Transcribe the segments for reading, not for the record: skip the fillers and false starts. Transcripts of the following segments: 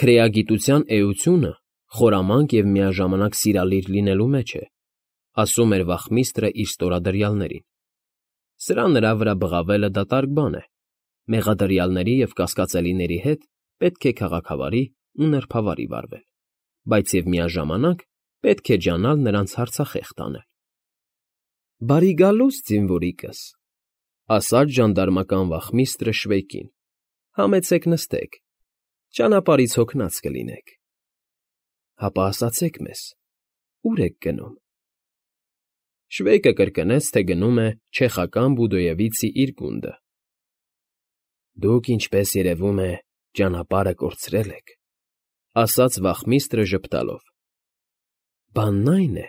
Քրեագիտության էությունը խորամանկ և միաժամանակ սիրալիր լինելու մեջ է, ասում էր վախմիստրը իր ստորադրյալներին. սրա նրա վրա բղավելը դատարկ բան է, մեղադրյալների և կասկածելիների հետ պետք է քաղաքավարի ու նրբավարի վարվել, բայց և միաժամանակ պետք է ջանալ նրանց հարցախեղդ անել։ ֊ Բարի գալուստ, զինվորիկս, ֊ ասաց ժանդարմական վախմիստրը Շվեյկին։ ֊ Համեցեք նստեք, ճանապարհից հոգնած կլինեք։ ֊ Հապա ասացեք մեզ, ո՞ւր եք գնում։ Շվեյկը կրկնեց, թե գնում է չեխական Բուդոևիցի իր գունդը։ ֊ Դուք, ինչպես երևում է, ճանապարհը կորցրել եք, ֊ ասաց վախմիստրը ժպտալով։ ֊ Բանն այն է,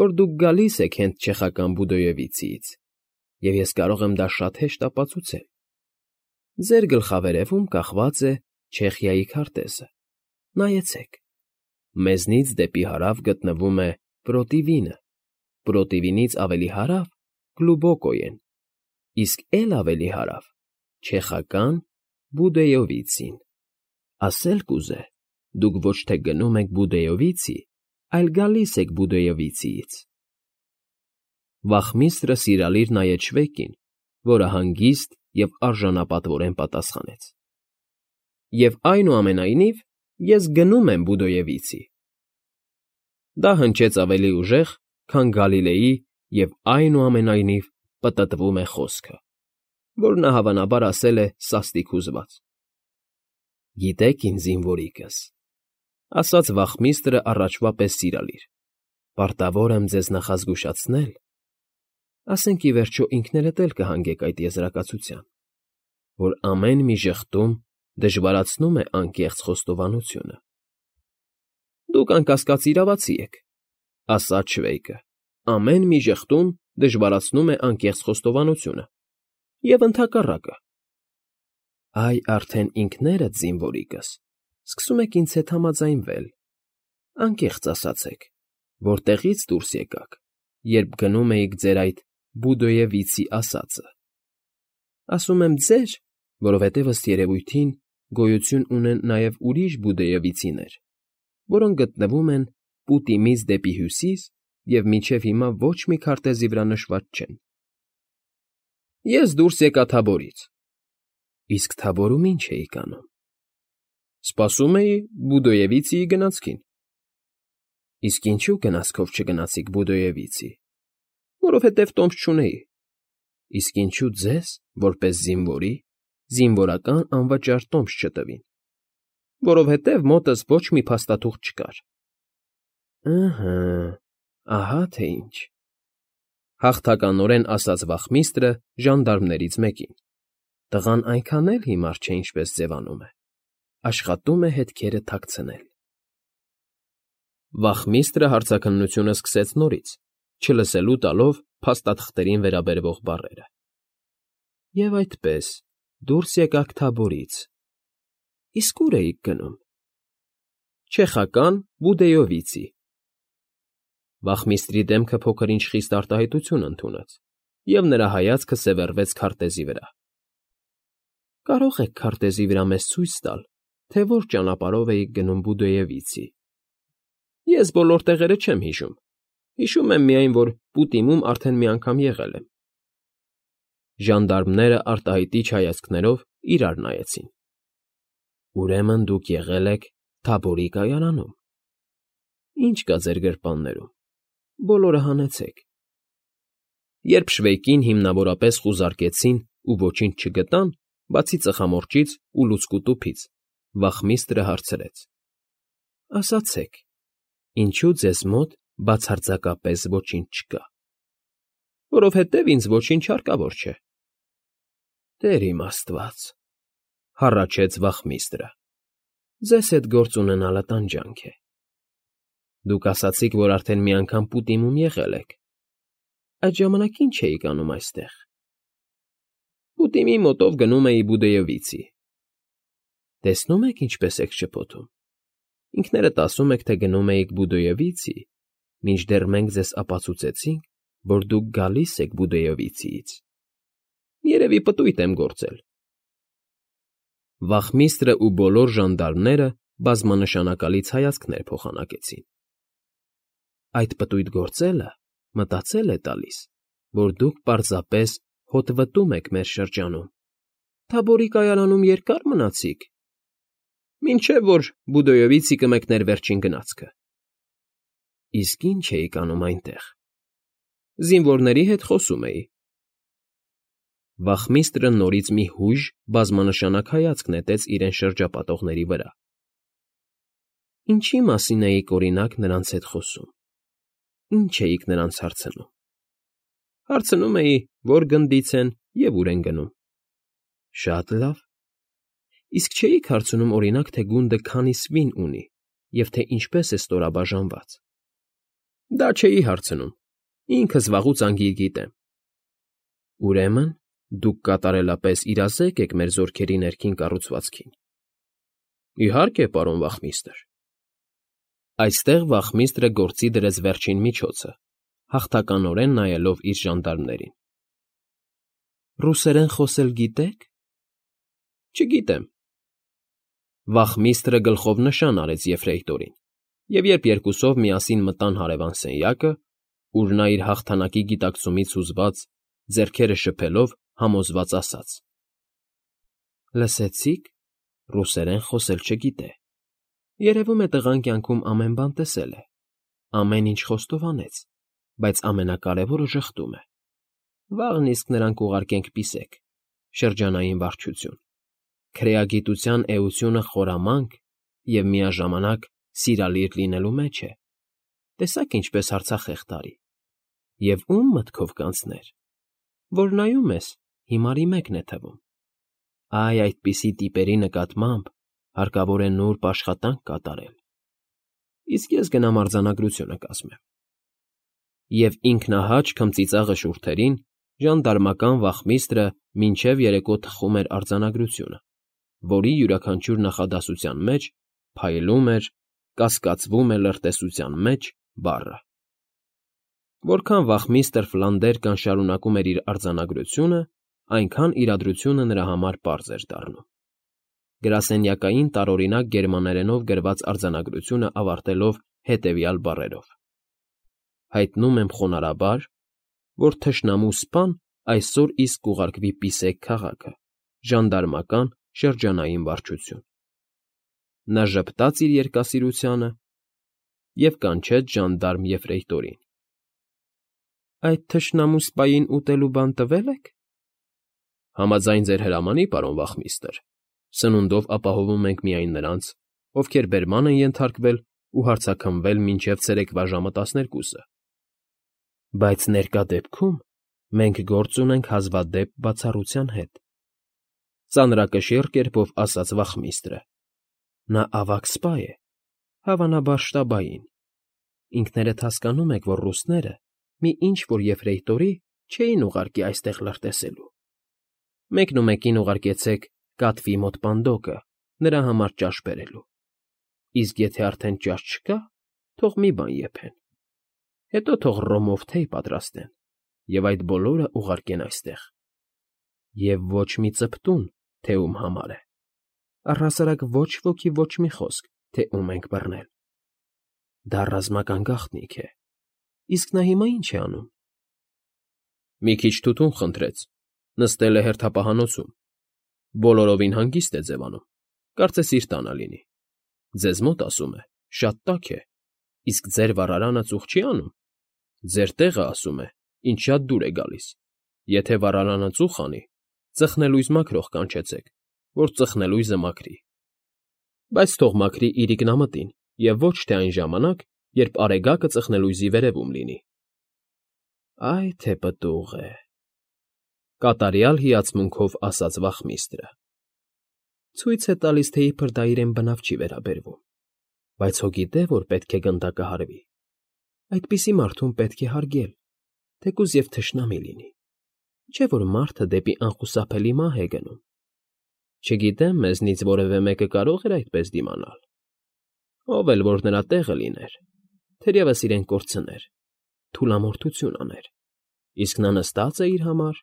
որ դուք գալիս եք հենց չեխական Բուդոևիցիից, և ես կարող եմ դա շատ հեշտ ապացուցել։ Ձեր գլխավերևում կախված է Չեխիայի քարտեզը։ Նայեցեք։ Մեզնից դեպի հարավ գտնվում է Պրոտիվինը, Պրոտիվինից ավելի հարավ Գլուբոկոյեն, իսկ էլ ավելի հարավ չեխական Բուդոևիցին։ Ասել կուզե, դուք ոչ թե գնում եք Բուդոևիցի, այլ գալիս եք Բուդոևիցիից։ Վախմիստրը սիրալիր նայեց Շվեյկին, որը հանգիստ և արժանապատվորեն պատասխանեց. ֊ Եվ այնուամենայնիվ ես գնում եմ Բուդոևիցի։ Դա հնչեց ավելի ուժեղ, քան Գալիլեի և այնուամենայնիվ պտտվում է խոսքը, որ նա հավանաբար ասել է սաստիկ հուզված։ ֊ Գիտեք, իմ զինվորիկս, ֊ ասաց վախմիստրը առաջվա պես սիրալիր, ֊ պարտավոր եմ ձեզ նախազգուշացնել, ասենք ի վերջո ինքներդ էլ կհանգեք այդ եզրակացության, որ ամեն մի ժխտում դժվարացնում է անկեղծ խոստովանությունը։ ֊ Դուք, անկասկած, իրավացի եք, ֊ ասաց Շվեյկը, ֊ ամեն մի ժխտում դժվարացնում է անկեղծ խոստովանությունը, և ընդհակառակը։ ֊ Այ արդեն ինքներդ, զինվորիկս, սկսում եք ինձ հետ համաձայնվել, անկեղծ ասացեք, որտեղի՞ց դուրս եկաք, երբ գնում էիք ձեր այդ Բուդոևիցի ասածը։ Ասում եմ ձեր, որովհետև ըստ երևույթին գոյություն ունեն նաև ուրիշ Բուդոևիցիներ, որոնք գտնվում են Պուտիմից դեպի հյուսիս և մինչև հիմա ոչ մի քարտեզի վրա նշված չեն։ Ես դուրս եկա Թաբորից։ Իսկ Թաբորում ի՞նչ էիք անում։ Սպասում էի Բուդոևիցիի գնացքին։ Իսկ ինչու գնացքով չգնացիք Բուդոևիցի։ Որովհետև տոմս չունեի։ Իսկ ինչու ձեզ, որպես զինվորի, զինվորական անվճար տոմս չտվին։ Որովհետև մոտս ոչ մի փաստաթուղթ չկար։ Ըհը, ահա թե ինչ, ֊ հաղթականորեն ասաց վախմիստրը ժանդարմներից մեկին։ Տղան այնքան էլ հիմար չէ, ինչպես ձևանում է, աշխատում է հետքերը թաքցնել։ Վախմիստրը հարցաքննությունը սկսեց նորից, չլսելու տալով փաստաթղթերին վերաբերվող բառերը։ Եվ այդպես, դուրս եկաք Թաբորից։ Իսկ ո՞ւր էիք գնում։ Չեխական Բուդոևիցի։ Վախմիստրի դեմքը փոքր-ինչ խիստ արտահայտություն ընդունեց, և նրա հայացքը սևեռվեց քարտեզի վրա։ Կարո՞ղ եք քարտեզի վրա մեզ ցույց տալ, թե որ ճանապարհով էիք գնում Բուդոևիցի։ Ես բոլոր տեղերը չեմ հիշում։ Հիշում եմ միայն, որ Պուտիմում արդեն մի անգամ եղել եմ։ Ժանդարմները արտահայտիչ հայացքներով իրար նայեցին։ Ուրեմն դուք եղել եք Թաբորի կայարանում։ Ինչ կա ձեր գրպաններում։ Բոլորը հանեցեք։ Երբ Շվեյկին հիմնավորապես խուզարկեցին ու ոչինչ չգտան, բացի ծխամորճից ու լուցկու տուփից, վախմիստրը հարցրեց. Ասացեք, ինչու ձեզ մոտ բացարձակապես ոչինչ չկա։ Որովհետև ինձ ոչինչ հարկավոր չէ։ Տեր իմ Աստված, ֊ հառաչեց վախմիստրը, ձեզ հետ գործ ունենալը տանջանք է։ Դուք ասացիք, որ արդեն մի անգամ Պուտիմում եղել եք։ Այդ ժամանակ ի՞նչ էիք անում այստեղ։ Պուտիմի մոտով գնում էի Բուդոևիցի։ Տեսնում եք, ինչպես եք շփոթում։ Ինքներդ ասում եք, թե գնում էիք Բուդոևիցի, մինչդեռ մենք ձեզ ապացուցեցինք, որ դուք գալիս եք Բուդոևիցիից։ Երևի պտույտ եմ գործել։ Վախմիստրը ու բոլոր ժանդարմները բազմանշանակալից հայացքներ փոխանակեցին։ Այդ պտույտ գործելը մտածել է տալիս, որ դուք պարզապես հոտվտում եք մեր շրջանում, Թաբորի կայարանում երկա՞ր մնացիք, մինչև որ Բուդոյովիցի կմեկներ վերջին գնացքը։ Իսկ ինչ էիք անում այնտեղ։ Զինվորների հետ խոսում էի։ Վախմիստրը նորից մի հույժ բազմանշանակ հայացք նետեց իրեն շրջապատողների վրա։ Ինչի մասին էիք, օրինակ, նրանց հետ խոսում։ Ինչ էիք նրանց հարցնում։ Հարցնում էի, որ գնդից են և ուր են գնում։ Շատ լավ։ Իսկ չէիք հարցնում, օրինակ, թե գունդը քանի սվին ունի և թե ինչպես է ստորաբաժանված։ Դա չէի հարցնում։ Ինքս վաղուց անգիր գիտեմ։ Ուրեմն, դուք կատարելապես իրազեկ եք մեր զորքերի ներքին կառուցվածքին։ Իհարկե, պարոն վախմիստր։ Այստեղ վախմիստրը գործի դրեց վերջին միջոցը, հաղթականորեն նայելով իր ժանդարմներին։ Ռուսերեն խոսել գիտե՞ք։ Չգիտեմ։ Վախմիստրը գլխով նշան արեց Եֆրեյտորին, և երբ երկուսով միասին մտան հարևան սենյակը, ուր նա իր հաղթանակի գիտակցումից հուզված, ձեռքերը շփելով համոզված ասաց. Լսեցի՞ք, ռուսերեն խոսել չգիտե։ Երևում է տղան կյանքում ամեն բան տեսել է, ամեն ինչ խոստովանեց, բայց ամենակարևորը ժխտում է։ Վաղն իսկ նրան կուղարկենք պիսեք, շրջանային վարչություն։ Քրեագիտության էությունը խորամանկ և միաժամանակ սիրալիր լինելու մեջ է։ Տեսաք ինչպես հարցախեղ տարի։ Եվ ում մտքով կանցներ, որ նայում ես, հիմարի մեկն է թվում։ Այ այդպիսի տիպերի նկատմամբ հարկավոր է նուրբ աշխատանք կատարել։ Իսկ ես գնամ արձանագրությունը կազմեմ։ Եվ ինքնահաճ քմծիծաղը շուրթերին ժանդարմական վախմիստրը մինչև երեկո թխում էր արձանագրությունը, որի յուրաքանչյուր նախադասության մեջ փայլում էր, կասկածվում է լրտեսության մեջ բառը։ Որքան վախմիստր Ֆլանդերկան շարունակում էր իր արձանագրությունը, այնքան իրադրությունը նրա համար պարզ էր դառնում։ Գրասենյակային տարօրինակ գերմաներենով գրված արձանագրությունը ավարտելով հետևյալ բառերով. Հայտնում եմ խոնարհաբար, որ թշնամու սպան այսօր իսկ կուղարկվի Պիսեք քաղաքը, ժանդարմական շրջանային վարչություն։ Նա ժպտաց իր երկասիրությանը և կանչեց ժանդարմ Եֆրեյտորին։ Այդ թշնամու սպային ուտելու բան տվե՞լ եք։ Համաձայն ձեր հրամանի, պարոն վախմիստր, սնունդով ապահովում ենք միայն նրանց, ովքեր բերման են ենթարկվել ու հարցաքննվել մինչև ցերեկվա ժամը 12-ը։ Բայց ներկա դեպքում մենք գործ ունենք հազվադեպ բացառության հետ։ Ծանրակշիռ կերպով ասաց վախմիստրը։ Նա ավագ սպա է, հավանաբար շտաբային։ Ինքներդ հասկանում եք, որ ռուսները մի ինչ֊որ Եֆրեյտորի չէին ուղարկի այստեղ լրտեսելու։ Մեկնումեկին ուղարկեցեք կատվի մոտ պանդոկը նրա համար ճաշ բերելու։ Իսկ եթե արդեն ճաշ չկա, թող մի բան եփեն։ Հետո թող ռոմով թեյ պատրաստեն և այդ բոլորը ուղարկեն այստեղ։ Եվ ոչ մի ծպտուն, թե ում համար է։ Առհասարակ ոչ ոքի ոչ մի խոսք, թե ում ենք բռնել։ Դա ռազմական գաղտնիք է։ Իսկ նա հիմա ինչ է անում։ Մի քիչ թութուն խնդրեց, նստել է հերթապահանոցում։ Բոլորովին հանգիստ է ձևանում, կարծես իր տանը լինի։ Ձեզ մոտ, ասում է, շատ տաք է, իսկ ձեր վառարանը ծուխ չի անում։ Ձեր տեղը, ասում է, ինձ շատ դուր է գալիս։ Եթե վառարանը ծուխ անի, ծխնելույզ մաքրող կանչեցեք, որ ծխնելույզը մաքրի։ Բայց թող մաքրի իր ինքնամտին և ոչ թե այն ժամանակ, երբ արեգակը ծխնելույզի վերևում լինի։ Այ թե պտուղ է, կատարյալ հիացմունքով ասաց վախմիստրը։ Ցույց է տալիս, թե իբր դա իրեն բնավ չի վերաբերվում, բայց հո գիտե, որ պետք է գնդակը հարվի։ Այդպիսի մարդուն պետք է հարգել, թեկուզ և թշնամի լինի, չէ՞ որ մարդը դեպի անխուսափելի մահ է գնում։ Չգիտեմ, մեզնից որևէ մեկը կարող էր այդպես դիմանալ։ Ով էլ որ նրա տեղը լիներ, թերևս իրեն կորցներ, թուլամորթություն աներ, իսկ նա նստած է իր համար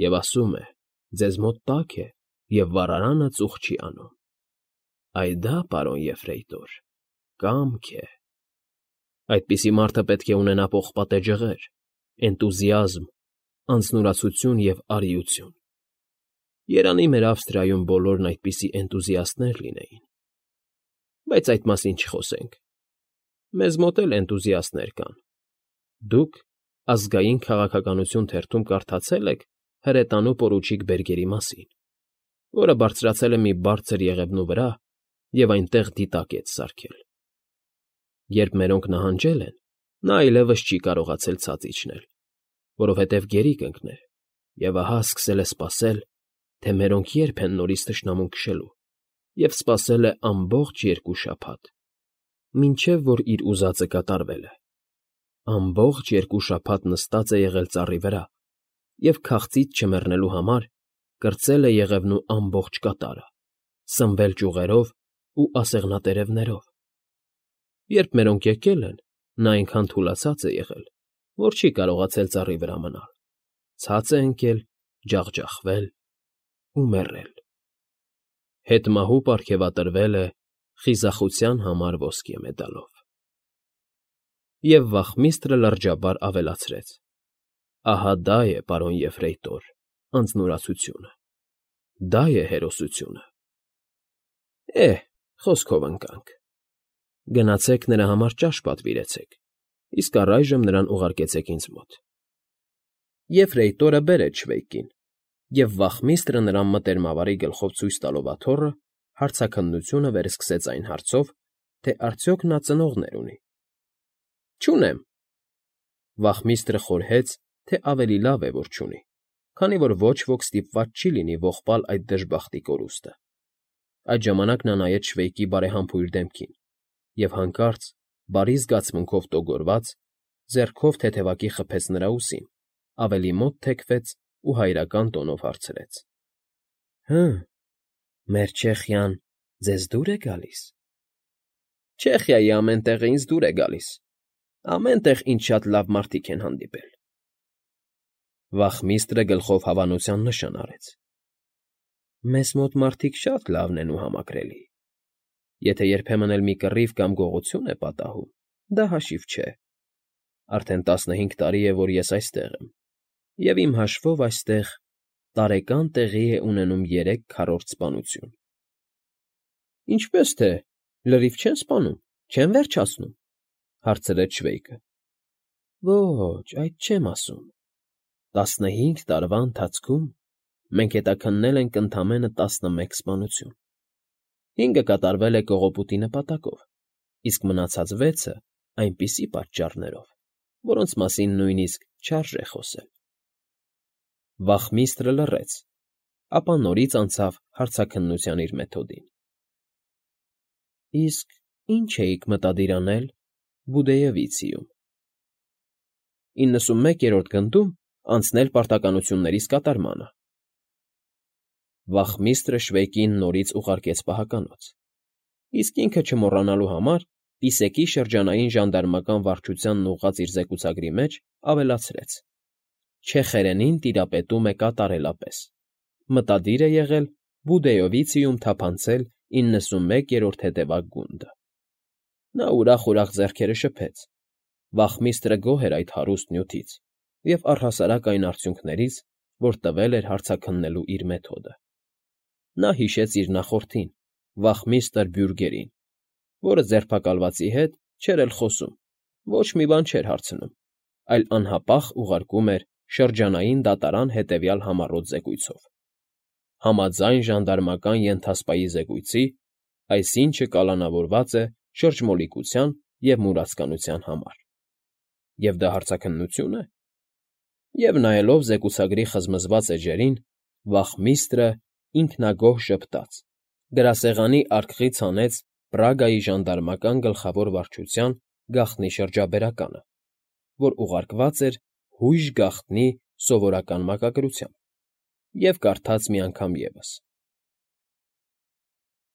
և ասում է. ձեզ մոտ տաք է, և վառարանը ծուխ չի անում։ Այ դա, պարոն Եֆրեյտոր, կամք է։ Այդպիսի մարդը պետք է ունենա պողպատե ջղեր, էնտուզիազմ, անձնուրացություն և արիություն։ Երանի մեր Ավստրիայում բոլորն այդպիսի էնտուզիաստներ լինեին։ Բայց այդ մասին չխոսենք։ Մեզ մոտ էլ էնտուզիաստներ կան։ Դուք «Ազգային քաղաքականություն» թերթում կարդացե՞լ եք հրետանու պորուչիկ Բերգերի մասին, որը բարձրացել է մի բարձր եղևնու վրա և այնտեղ դիտակետ սարքել։ Երբ մերոնք նահանջել են, նա այլևս չի կարողացել ցած իջնել, որովհետև գերի կընկներ, և ահա սկսել է սպասել, թե մերոնք երբ են նորից թշնամուն քշելու, և սպասել է ամբողջ 2 շաբաթ, մինչև որ իր ուզածը կատարվել է։ Ամբողջ 2 շաբաթ նստած է եղել ծառի վրա և քաղցից չմեռնելու համար կրծել է եղևնու ամբողջ կատարը, սնվել ճյուղերով ու ասեղնատերևներով։ Երբ մերոնք եկել են, նա այնքան թուլացած է եղել, որ չի կարողացել ծառի վրա մնալ, ցած է ընկել, ջախջախվել ու մեռել։ Հետմահու պարգևատրվել է խիզախության համար ոսկե մեդալով։ Եվ վախմիստրը լրջաբար ավելացրեց. ահա դա է, պարոն Եֆրեյտոր, անձնուրացությունը, դա է հերոսությունը։ Խոսքով ընկանք։ Գնացեք նրա համար ճաշ պատվիրեցեք, իսկ առայժմ նրան ուղարկեցեք ինձ մոտ։ Եֆրեյտորը բերեց շվեյկին, և վախմիստրը նրան մտերմավարի գլխով ցույց տալով աթոռը հարցաքննությունը վերսկսեց այն հարցով, թե արդյոք նա ծնողներ ունի։ Չունեմ։ Վախմիստրը խորհեց, թե ավելի լավ է, որ չունի, քանի որ ոչ ոք ստիպված չի լինի ողբալ այդ դժբախտի կորուստը։ Այդ ժամանակ նա նայեց շվեյկի բարեհամբույր դեմքին և հանկարծ, բարի զգացմունքով տոգորված, ձեռքով թեթևակի խփեց նրա ուսին, ավելի մոտ թեքվեց ու հայրական տոնով հարցրեց. Մեր Չեխիան ձեզ դուր է գալիս։ Չեխիայի ամեն տեղը ինձ դուր է գալիս, ամեն տեղ ինձ շատ լավ մարդիկ են հանդիպել։ Վախմիստրը գլխով հավանության նշան արեց։ Մեզ մոտ մարդիկ շատ լավն են ու համակրելի։ Եթե երբեմն էլ մի կռիվ կամ գողություն է պատահում, դա հաշիվ չէ։ Արդեն 15 տարի է, որ ես այստեղ եմ, և իմ հաշվով այստեղ տարեկան տեղի է ունենում 3 քառորդ սպանություն։ Ինչպե՞ս թե, լրիվ չեն սպանում, չեն վերջացնում, հարցրեց շվեյկը։ Ոչ, այդ չեմ ասում։ 15 տարվա ընթացքում մենք հետաքննել ենք ընդամենը 11 սպանություն։ 5-ը կատարվել է կողոպուտի նպատակով, իսկ մնացած 6-ը այնպիսի պատճառներով, որոնց մասին նույնիսկ չարժե խոսել։ Վախմիստրը լռեց, ապա նորից անցավ հարցաքննության իր մեթոդին։ Իսկ ի՞նչ էիք մտադիր անել Բուդեևիցիում։ 91-րդ գնդում անցնել պարտականություններիս կատարմանը։ Վախմիստրը շվեյկին նորից ուղարկեց պահականոց, իսկ ինքը չմոռանալու համար Պիսեկի շրջանային ժանդարմական վարչությանն ուղղած իր զեկուցագրի մեջ ավելացրեց. Չեխերենին տիրապետում է կատարելապես։ Մտադիր է եղել Բուդեովիցիում թափանցել 91-րդ հետևակ գունդը։ Նա ուրախ ձեռքերը շփեց։ Վախմիստրը գոհ էր այդ հարուստ նյութից և առհասարակ այն արդյունքներից, որ տվել էր հարցաքննելու իր մեթոդը։ Նա հիշեց իր նախորդին, վախմիստր Բյուրգերին, որը ձերբակալվածի հետ չէր էլ խոսում, ոչ մի բան չէր հարցնում, այլ անհապաղ ուղարկում էր շրջանային դատարան հետևյալ համառոտ զեկույցով. Համաձայն ժանդարմական ենթասպայի զեկույցի, այսինչը կալանավորված է շրջմոլիկության և մուրացկանության համար։ Եվ դա հարցաքննություն է։ Եվ նայելով զեկուցագրի խզմզված էջերին, վախմիստրը ինքնագոհ ժպտաց, գրասեղանի արկղից հանեց Պրագայի ժանդարմական գլխավոր վարչության գաղտնի շրջաբերականը, որ ուղարկված էր հույժ գաղտնի սովորական մակագրությամբ, և կարդաց մի անգամ ևս.